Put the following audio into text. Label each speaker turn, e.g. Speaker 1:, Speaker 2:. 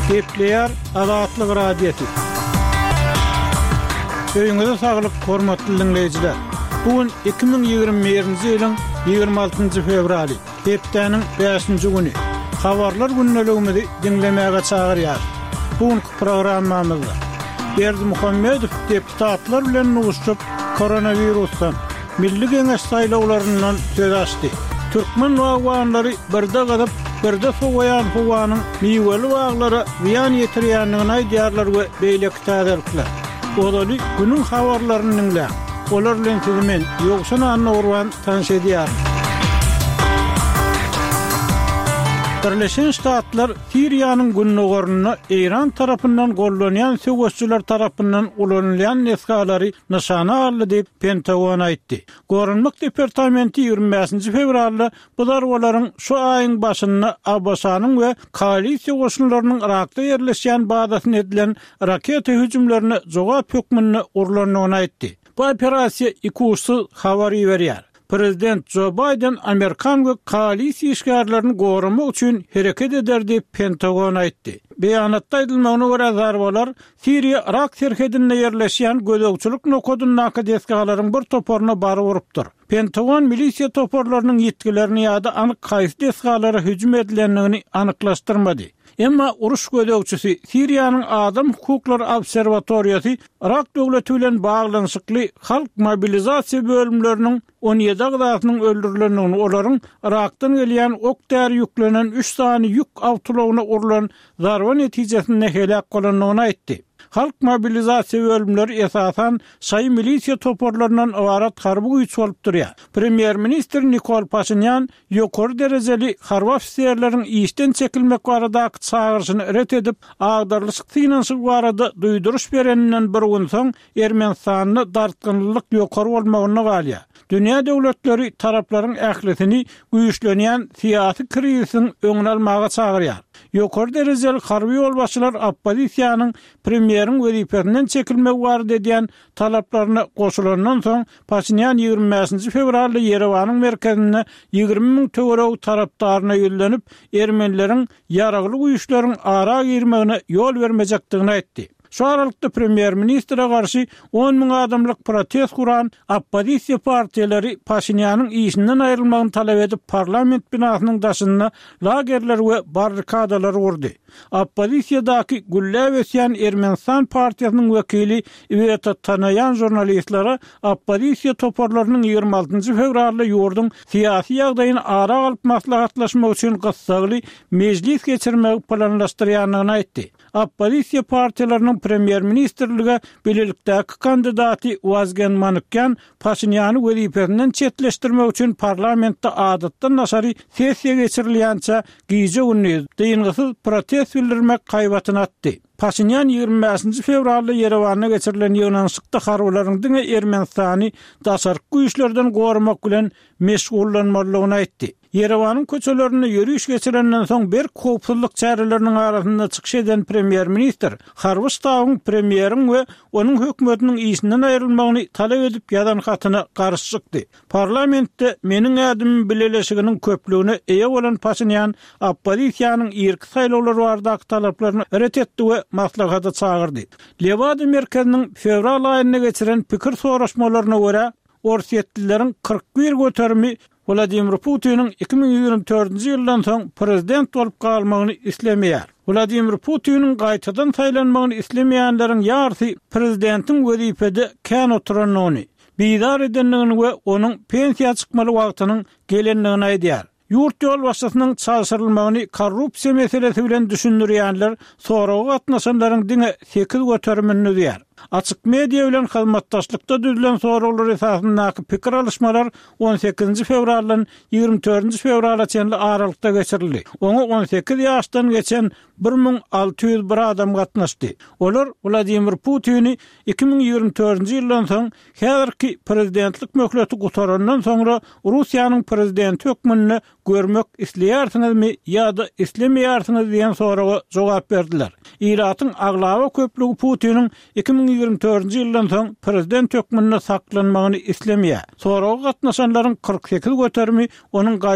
Speaker 1: Gepleýär Azatlyk Radiosy. Öýüňize saglyk, hormatly diňleýjiler! Bu gün 2021-nji ýylyň 26-njy fewraly, hepdäniň bäşinji güni. Habarlar gündeligimizi diňlemäge çagyrýarys. Bu günki programmamyzda Berdimuhamedow deputatlar bilen duşuşyp, koronawirusdan, Milli Geňeş saýlawlaryndan söz açdy. Türkmen bagbanlary birde gyzyp, birde sowaýan howanyň miweli baglara zyýan ýetirýändigini aýdýarlar we beýleki täzelikler. Ozaly günüň habarlaryny diňläň. Olar bilen sizi men, Ýowşan Annagurban tanyş edýärin. Birleşen Ştatlar Siriýanyň gündogarynda Eýran tarapyndan gollanýan söweşijiler tarapyndan ulanylýan desgalary nyşana aldy diýip, Pentagon aýtdy. Goranmak departamenti 25-nji fewralda bu zarbalaryň şu aýyň başynda ABŞ-nyň we koalisiýa goşunlarynyň Yrakda ýerleşýän bazasyna edilen raketa hüjümlerine jogap hökmünde urlandygyny aýtdy. Bu operasiýa ikuçsuz habar iberýär. Prezident Jo Baýden amerikan we koalisiýa işgärlerini goramak üçin hereket eder diýip, Pentagon aýtdy. Beýanatda aýdylmagyna görä, zarbalar Siriýa-Yrak serhedinde ýerleşýän gözegçilik nokadyndaky desgalaryň bir toparyna baryp urupdyr. Pentagon milisiýa toparlarynyň ýitgilerini ýa-da anyk haýsy desgalara hüjüm edilendigini anyklaşdyrmady. Emma uruş gözegçisi, Siriýanyň Adam hukuklary obserwatoriýasy Yrak döwleti bilen baglanyşykly halk mobilizasiýa bölümleriniň 17 agzasynyň öldürilendigini, olaryň Yrakdan gelýän ok-däri ýüklenen üç sany ýük awtoulagyna urlan zarba netijesinde heläk bolandygyny aýtdy. Halk mobilizasiýa bölümleri esasan şaýy milisiýa toparlaryndan ybarat harby güýç bolup durýar. Premýer-ministr Nikol Paşinýan ýokary derejeli harby ofiserleriň işden çekilmek baradaky çagyryşyny ret edip, agdarylyşyk synanyşygy barada duýduryş bereninden bir gün soň Ermenistanda dartgynlylyk ýokary bolmagynda galýar. Dünýä döwletleri taraplaryň ählisini güýçlenýän syýasy krizisiň öňüni almaga çagyrýar. Ýokary derejeli harby ýolbaşçylar oppozisiýanyň premýeriň wezipesinden çekilmegi barada edýän talaplaryna goşulandan soň, Paşinýan 25-nji fewralda Ýerewanyň merkezinde 20 müň töweregi tarapdaryna ýüzlenip, ermenileriň ýaragly güýçleriň ara girmegine ýol bermejekdigini aýtdy. Şu aralykda premýer-ministre garşy on müň adamlyk protest guran oppozisiýa partiýalary Paşinýanyň işinden aýrylmagyny talap edip parlament binasynyň daşynda lagerler we barrikadalary gurdy. Oppozisiýadaky gülläp ösýän Ermenistan partiýasynyň wekili Iweta Tanaýan žurnalistlere oppozisiýa toparlarynyň 26 fewralda ýurduň syýasy ýagdaýyny ara alyp maslahatlaşmak üçin gyssagly mejlis geçirmegi planlaşdyrýandygyny aýtdy. Oppozisiýa partiýalarynyň premýer-ministrlige bilelikdäki kandidaty Wazgen Manukýan Paşinýany wezipesinden çetleşdirmek üçin parlamentde adatdan daşary sessiýa geçirilýänçä gije-gündiz dyngysyz protest bildirmek haýbatyny atdy. Paşinýan 25-nji fewralda Ýerewanda geçirilen ýygnanyşykda harbylaryň diňe Ermenistany daşarky güýçlerden goramak bilen meşgullanmalydygyny aýtdy. Ýerewanyň köçelerinde ýöriş geçirenden soň berk howpsuzlyk çäreleriniň arasynda çykyş eden premýer-ministr harby ştabyň premýeriň we onuň hökümetiniň işinden aýrylmagyny talap edip ýazan hatyna garşy çykdy. Parlamentde Meniň ädimim bileleşiginiň köplügine eýe bolan Paşinýan oppozisiýanyň irki saýlawlar baradaky talaplaryny ret etdi we maslahata çagyrdy. Lewada merkeziniň fewral aýynda geçiren pikir soraşmalaryna görä, orsýetlileriň 41 göterimi Wladimir Putiniň 2024-nji ýyldan soň prezident bolup galmagyny islemeýär. Wladimir Putiniň gaýtadan saýlanmagyny islemeýänleriň ýarysy prezidentiň wezipede kän oturandygyny, bizar edendigini we onuň pensiýa çykmaly wagtynyň gelendigini aýdýar. Ýurt ýolbaşçysynyň çalşyrylmagyny korrupsiýa meselesi bilen düşündirýänler soraga gatnaşanlaryň diňe sekiz göterimini düzýär. Açyk media bilen hyzmatdaşlykda düzülen soraglar esasyndaky pikir alyşmalar on sekizinji fewraldan 24-nji fewrala çenli aralykda geçirildi. Oňa 18 ýaşdan geçen 1601 adam gatnaşdy. Olar Wladimir Putini 2024-nji ýyldan soň häzirki prezidentlik möhleti gutarandan soňra Russiýanyň prezidenti hökmünde görmek isleýärsiňizmi ýa-da islemeýärsiňiz diýen soraga jogap berdiler. Ilatyň aglaba köplügi Putiniň 2024-nji ýyldan soň prezident hökmünde saklanmagyny islemeýär. Soraga gatnaşanlaryň 48 göterimi onuň gaýtadan.